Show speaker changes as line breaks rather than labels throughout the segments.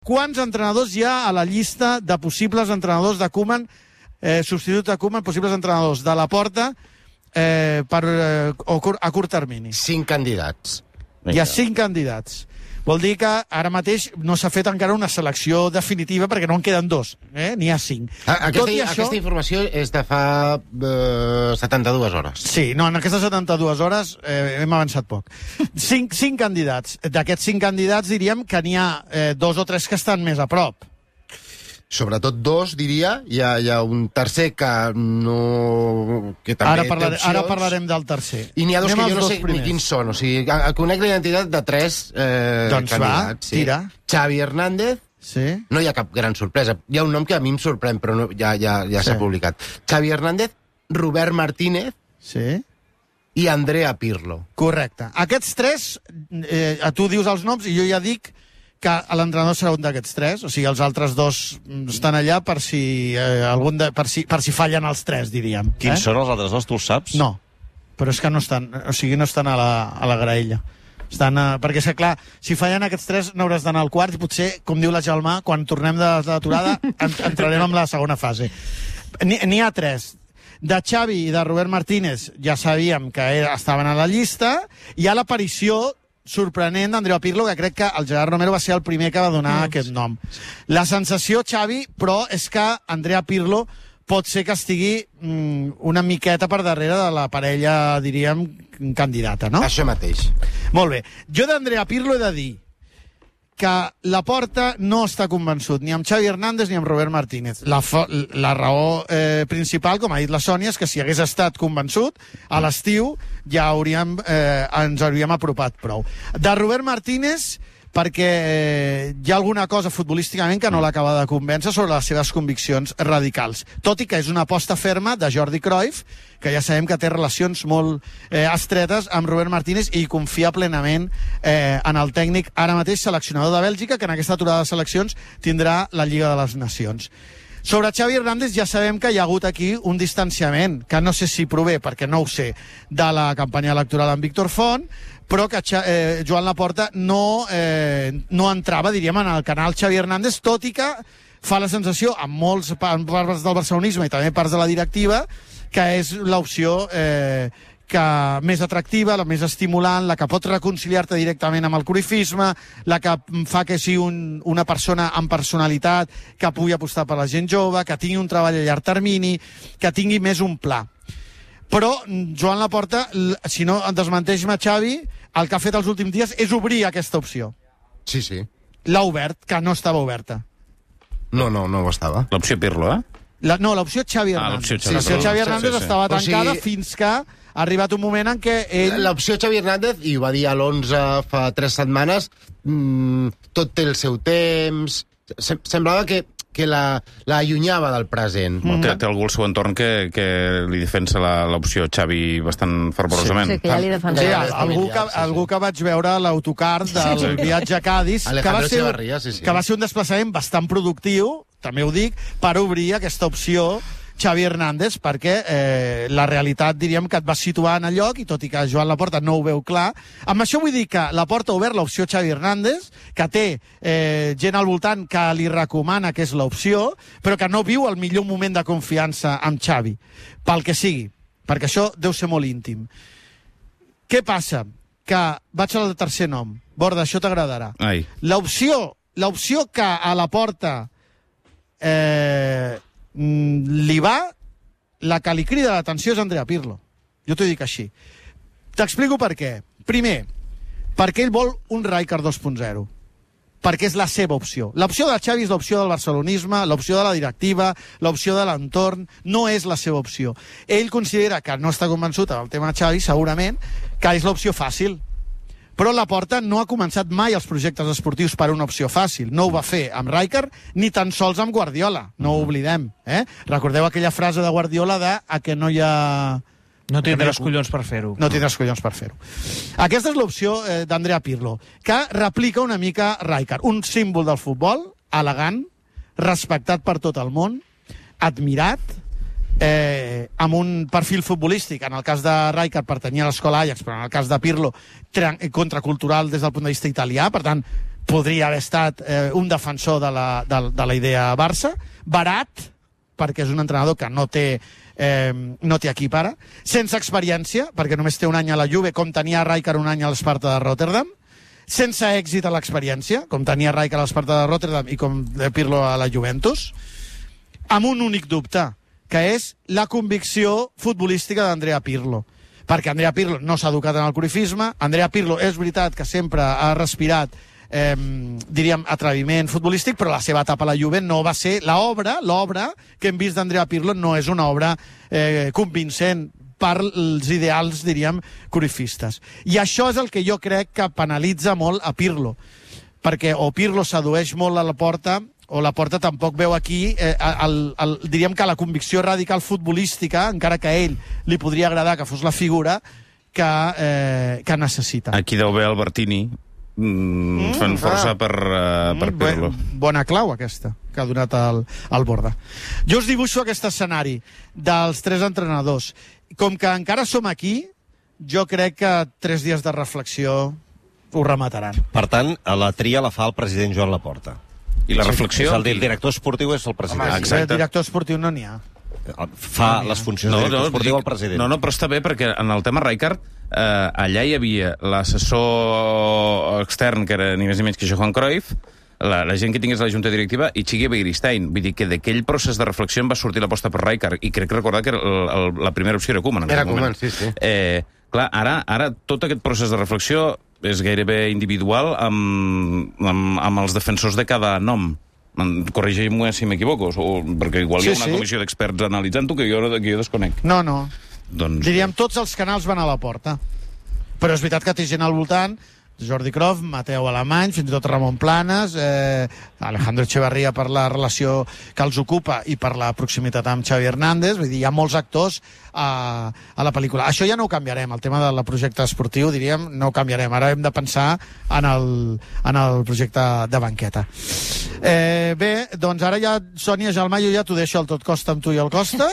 Quants entrenadors hi ha a la llista de possibles entrenadors de Koeman, substituts de Koeman, possibles entrenadors de Laporta a curt termini?
5 candidats.
Hi ha 5 candidats. Vol dir que ara mateix no s'ha fet encara una selecció definitiva perquè no en queden 2, n'hi ha 5.
Aquesta informació és de fa 72 hores.
Sí, no, en aquestes 72 hores hem avançat poc. 5 candidats. D'aquests 5 candidats diríem que n'hi ha 2 o 3 que estan més a prop.
Sobretot 2, diria. Hi ha un tercer que no... que també té opcions.
Ara parlarem del tercer.
I n'hi ha 2 que jo no sé ni quins són. O sigui, conec la identitat de 3
doncs
candidats.
Va, tira.
Xavi Hernández.
Sí.
No hi ha cap gran sorpresa. Hi ha un nom que a mi em sorprèn, però no, ja s'ha publicat. Xavi Hernández, Robert Martínez i Andrea Pirlo.
Correcte. Aquests 3, tu dius els noms i jo ja dic que l'entrenador serà un d'aquests 3, o sigui, els altres 2 estan allà per si fallen els 3, diríem.
Quins són els altres 2, tu els saps?
No, però és que no estan, o sigui, no estan a la graella. Perquè, clar, si fallen aquests 3 n'hauràs d'anar al quart i potser, com diu la Gelmà, quan tornem de l'aturada entrarem en la segona fase. N'hi ha 3. De Xavi i de Robert Martínez ja sabíem que estaven a la llista. Hi ha l'aparició sorprenent d'Andrea Pirlo, que crec que el Gerard Romero va ser el primer que va donar aquest nom. La sensació, Xavi, però és que Andrea Pirlo pot ser que estigui una miqueta per darrere de la parella, diríem, candidata, no?
Això mateix.
Molt bé. Jo d'Andrea Pirlo he de dir que Laporta no està convençut ni amb Xavi Hernández ni amb Robert Martínez. La raó principal, com ha dit la Sònia, és que si hagués estat convençut, a l'estiu ja ens hauríem apropat prou. De Robert Martínez, perquè hi ha alguna cosa futbolísticament que no l'acaba de convèncer sobre les seves conviccions radicals. Tot i que és una aposta ferma de Jordi Cruyff, que ja sabem que té relacions molt estretes amb Robert Martínez i confia plenament en el tècnic, ara mateix seleccionador de Bèlgica, que en aquesta aturada de seleccions tindrà la Lliga de les Nacions. Sobre Xavi Hernández ja sabem que hi ha hagut aquí un distanciament, que no sé si prové, perquè no ho sé, de la campanya electoral amb Víctor Font, però que Joan Laporta no entrava, diríem, en el canal Xavi Hernández, tot i que fa la sensació, amb molts parts del barcelonisme i també parts de la directiva, que és l'opció més atractiva, la més estimulant, la que pot reconciliar-te directament amb el cruyffisme, la que fa que sigui una persona amb personalitat, que pugui apostar per la gent jove, que tingui un treball a llarg termini, que tingui més un pla. Però Joan Laporta, si no desmenteix-me Xavi, el que ha fet els últims dies és obrir aquesta opció.
Sí, sí.
L'ha obert, que no estava oberta.
No ho estava.
L'opció Pirlo,
No, l'opció Xavi Hernández. L'opció Xavi Hernández estava tancada fins que ha arribat un moment en què ell...
L'opció Xavi Hernández, i ho va dir a l'11 fa 3 setmanes, tot té el seu temps... Semblava que l'allunyava del present.
Té algú al seu entorn que li defensa l'opció Xavi bastant fervorosament.
Sí, que ja li defensa.
Algú que vaig veure a l'autocar del viatge a Cádiz, que va ser un desplaçament bastant productiu, també ho dic, per obrir aquesta opció Xavi Hernández, perquè la realitat, diríem, que et va situar en el lloc, i tot i que Joan Laporta no ho veu clar. Amb això vull dir que Laporta ha obert l'opció Xavi Hernández, que té gent al voltant que li recomana que és l'opció, però que no viu el millor moment de confiança amb Xavi, pel que sigui, perquè això deu ser molt íntim. Què passa? Que vaig al tercer nom. Borda, això t'agradarà. L'opció que a Laporta li va, la que li crida l'atenció és Andrea Pirlo. Jo t'ho dic així. T'explico per què. Primer, perquè ell vol un Rijkaard 2.0. Perquè és la seva opció. L'opció de Xavi és l'opció del barcelonisme, l'opció de la directiva, l'opció de l'entorn, no és la seva opció. Ell considera que no està convençut del tema Xavi, segurament, que és l'opció fàcil. Però Laporta no ha començat mai els projectes esportius per una opció fàcil. No ho va fer amb Rijkaard, ni tan sols amb Guardiola. No ho oblidem. Recordeu aquella frase de Guardiola de que no hi ha...
No tindràs collons per fer-ho.
No tindràs collons per fer-ho. Aquesta és l'opció d'Andrea Pirlo, que replica una mica Rijkaard. Un símbol del futbol, elegant, respectat per tot el món, admirat, amb un perfil futbolístic. En el cas de Rijkaard pertanyia a l'escola Ajax, però en el cas de Pirlo contracultural des del punt de vista italià. Per tant, podria haver estat un defensor de la idea Barça, barat, perquè és un entrenador que no té equip ara, sense experiència, perquè només té un any a la Juve, com tenia Rijkaard un any a l'Sparta de Rotterdam, sense èxit a l'experiència, com tenia Rijkaard a l'Sparta de Rotterdam i com Pirlo a la Juventus, amb un únic dubte, que és la convicció futbolística d'Andrea Pirlo. Perquè Andrea Pirlo no s'ha educat en el cruyffisme, Andrea Pirlo és veritat que sempre ha respirat diríem, atreviment futbolístic, però la seva etapa a la Juve no va ser l'obra que hem vist d'Andrea Pirlo no és una obra convincent per els ideals, diríem, cruyffistes. I això és el que jo crec que penalitza molt a Pirlo, perquè o Pirlo sedueix molt a Laporta, o Laporta tampoc veu aquí, diríem que la convicció radical futbolística, encara que a ell li podria agradar que fos la figura que necessita.
Aquí deu haver Albertini, fent força per Pirlo.
Bona clau, aquesta, que ha donat al Borda. Jo us dibuixo aquest escenari dels 3 entrenadors. Com que encara som aquí, jo crec que 3 dies de reflexió ho remataran.
Per tant, la tria la fa el president Joan Laporta.
I la reflexió?
El director esportiu és el president.
Home, el director esportiu no n'hi ha.
Fa les funcions de director esportiu el president.
No, però està bé, perquè en el tema Rijkaard, allà hi havia l'assessor extern, que era ni més ni menys que Johan Cruyff, la gent que tingués la junta directiva, i Txiki Begiristain. Vull dir que d'aquell procés de reflexió en va sortir l'aposta per Rijkaard, i crec recordar que la primera opció era Koeman.
Era Koeman, sí.
Clar, ara tot aquest procés de reflexió és gairebé individual amb els defensors de cada nom. Corregeix-me si m'equivoco, perquè igual hi ha una comissió d'experts analitzant-ho que jo desconec.
No.
Doncs...
Diríem, tots els canals van a la porta. Però és veritat que té gent al voltant, Jordi Cruyff, Mateu Alemany, fins i tot Ramon Planes, Alejandro Echevarría per la relació que els ocupa i per la proximitat amb Xavi Hernández. Vull dir, hi ha molts actors a la pel·lícula. Això ja no ho canviarem, el tema del projecte esportiu, diríem, no ho canviarem. Ara hem de pensar en el projecte de banqueta. Bé, doncs ara ja, Sònia Gelmà, jo ja t'ho deixo al tot costa amb tu i el Costa,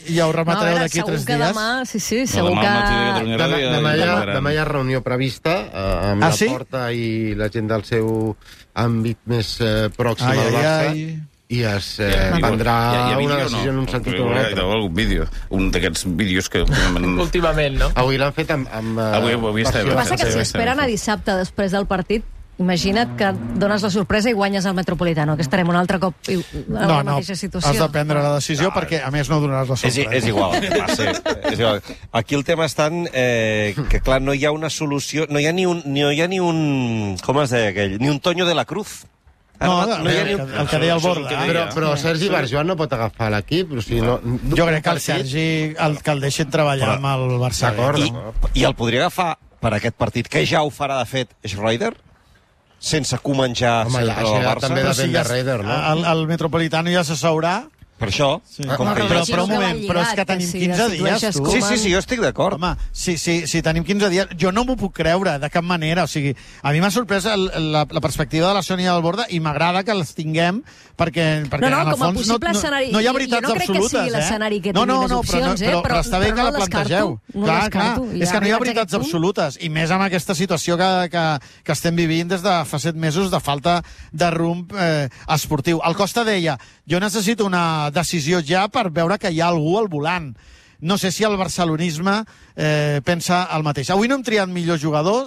i ja ho rematareu d'aquí 3 dies.
Demà, segur que...
Demà hi ha reunió prevista amb la Porta i la gent del seu àmbit més pròxim al Barça, i es prendrà una decisió en un sentit o un altre.
Algun vídeo, un d'aquests vídeos que...
Últimament, no?
Avui l'han fet amb...
Avui està bé.
El que passa que si esperen a dissabte després del partit, imagina't que dones la sorpresa i guanyes el Metropolitano, que estarem un altre cop en la mateixa situació.
Has de prendre la decisió perquè, a més, no donaràs la sorpresa.
És igual. Aquí el tema està que, clar, no hi ha una solució, no hi ha ni un com es deia aquell? Ni un Toño de la Cruz.
El que deia el Borda.
Però Sergi Barjuan no pot agafar l'equip.
Jo crec que el Sergi que el deixen treballar amb el Barça.
I el podria agafar per aquest partit, que ja ho farà, de fet, Schroeder? Sense Koeman ja...
Home, això també depèn de Raider, no?
El Metropolitano ja s'asseurà.
Per això...
Però un moment, però és que tenim 15 dies, tu.
Sí, jo estic d'acord.
Home, si tenim 15 dies... Jo no m'ho puc creure, de cap manera. O sigui, a mi m'ha sorprès la perspectiva de la Sònia del Borda i m'agrada que les tinguem perquè en el fons no hi ha veritats absolutes.
Jo no crec que sigui l'escenari que tingui més opcions,
però està bé que la plantegeu. Clar, és que no hi ha veritats absolutes. I més amb aquesta situació que estem vivint des de fa 7 mesos de falta de rumb esportiu. El Costa deia, jo necessito una decisió ja per veure que hi ha algú al volant. No sé si el barcelonisme pensa el mateix. Avui no hem triat millor jugador,